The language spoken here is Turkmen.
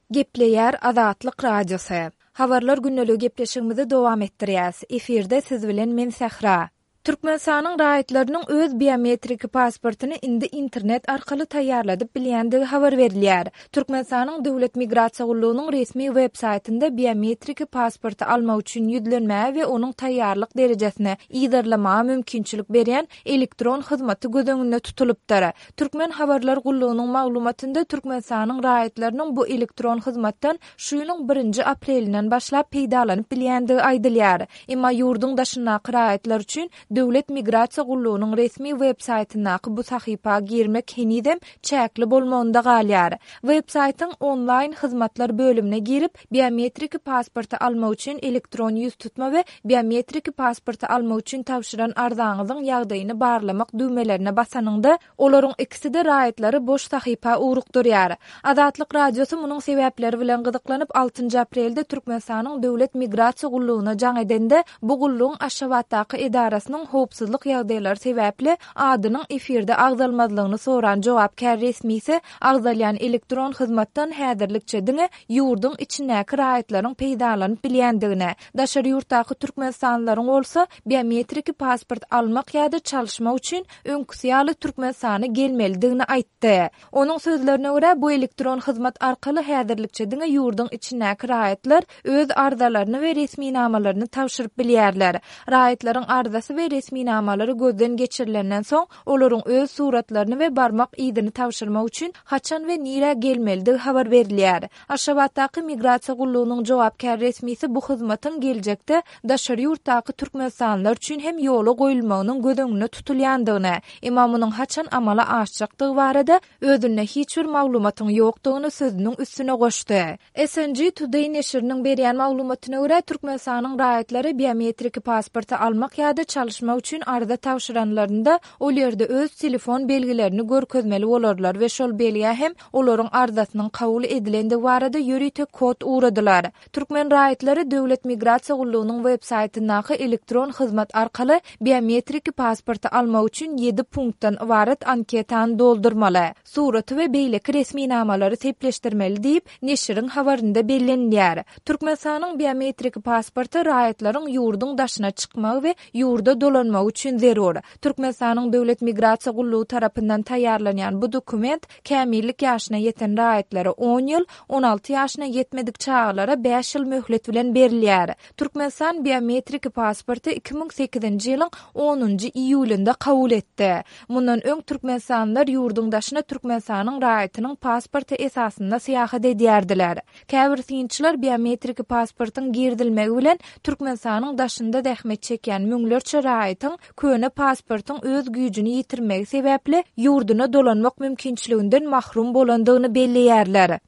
Gepleýär Azatlyk Radiosy. Habarlar gündeligi gepleşigimizi dowam etdirýäs. Efirde siz bilen men Sähra. Türkmenistanyň raýatlarynyň öz biometrik pasportyny indi internet arkaly taýýarladyp bilýändigi habar berilýär. Türkmenistanyň Döwlet migrasiýa gullugynyň resmi web saýtynda biometrik pasporty almak üçin ýüzlenmäge we onuň taýýarlyk derejesini yzarlamaga mümkinçilik berýän elektron hyzmaty göz öňünde tutulypdyr. Türkmen habarlar gullugynyň maglumatynda Türkmenistanyň raýatlarynyň bu elektron hyzmatdan şu ýylyň birinji aprelinden başlap peýdalanyp bilýändigi aýdylýar. Emma ýurduň daşyndaky raýatlar üçin Döwlet migrasiýa gullugynyň resmi web saýtyndaky bu sahypa girmek henizem çäkli bolmagynda galýar. Web saýtyň Onlaýn hyzmatlar bölümine girip, biometrik pasporty almak üçin elektron ýüztutma we Biometrik pasporty almak üçin tabşyran arzaňyzyň ýagdaýyny barlamak düwmelerine basanyňda, olaryň ikisi-de raýatlary boş sahypa ugrukdyrýar. Azatlyk Radiosy munuň sebäpleri bilen gyzyklanyp, altynjy aprelde Türkmenistanyň Döwlet migrasiýa gullugyna jaň edende, bu gullugyň Aşgabatdaky edarasynyň howpsuzlyk ýagdaýlary sebäpli adynyň efirde agzalmazlygyny soran jogapkär resmisi agzalýan elektron hyzmatdan häzirlikçe diňe ýurduň içindäki raýatlaryň peýdalanyp bilýändigini, Daşary ýurtdaky türkmenistanlylaryň bolsa biometriki pasport almak ýa-da çalyşmak üçin öňküsi ýaly Türkmenistana gelmelidigini aýtdy. Onuň sözlerine görä, bu elektron hyzmat arkaly häzirlikçe diňe ýurduň içindäki raýatlar öz arzalaryny we resminamalaryny tabşyryp bilýärler. Raýatlaryň arzasy we resminamalary gözden geçirilenden soň, olaryň öz suratlaryny we barmak yzyny tabşyrmak üçin haçan we nirä gelmelidigi habar berilýär. Aşgabatdaky Migrasiýa gullugynyň jogapkär resmisi bu hyzmatyň geljekde daşary ýurtdaky türkmenistanlylar üçin hem ýola goýulmagynyň göz öňünde tutulýandygyny, emma munuň haçan amala aşjakdygy barada özünde hiç bir maglumatyň ýokdugyny sözüniň üstüne goşdy. SNG Today neşiriniň berýän maglumatyna görä, Türkmenistanyň raýatlary biometriki pasporty almak ýa-da çalyşmak üçin arza tabşyranlarynda ol ýerde öz telefon belgilerini görkezmeli bolarlar we şol belgä hem olaryň arzasynyň kabul edilendigi barada ýörite kod ugradylar. Türkmen raýatlary Döwlet migrasiýa gullugynyň web saýtyndaky elektron hyzmat arkaly biometriki pasporty almak üçin ýedi punktdan ybarat anketany doldurmaly, suraty we beýleki resminamalary sepleşdirmeli diýip, neşiriň habarynda bellenilýär. Türkmenistanyň biometriki pasporty raýatlaryň ýurduň daşyna çykmagy we ýurda dolanmagy üçin zerur. Türkmenistanyň Döwlet migrasiýa gullugy tarapyndan taýýarlanýan bu dokument kämillik ýaşyna ýeten raýatlara on ýyl, 16 ýaşyna ýetmedik çagalara bäş ýyl möhlet bilen berilýär. Türkmenistan biometriki pasporty 2008-nji ýylyň onunjy iýulynda kabul etdi. Mundan öň türkmenistanlylar ýurduň daşyna Türkmenistanyň raýatynyň pasporty esasynda syýahat edýärdiler. Käbir synçylar biometriki pasportyň girizilmegi bilen Türkmenistanyň daşynda zähmet çekýän müňlerçe raýatyň köne pasportyň öz güýjüni ýitirmegi sebäpli ýurduna dolanmak mümkinçiliginden mahrum bolandygyny belleýärler.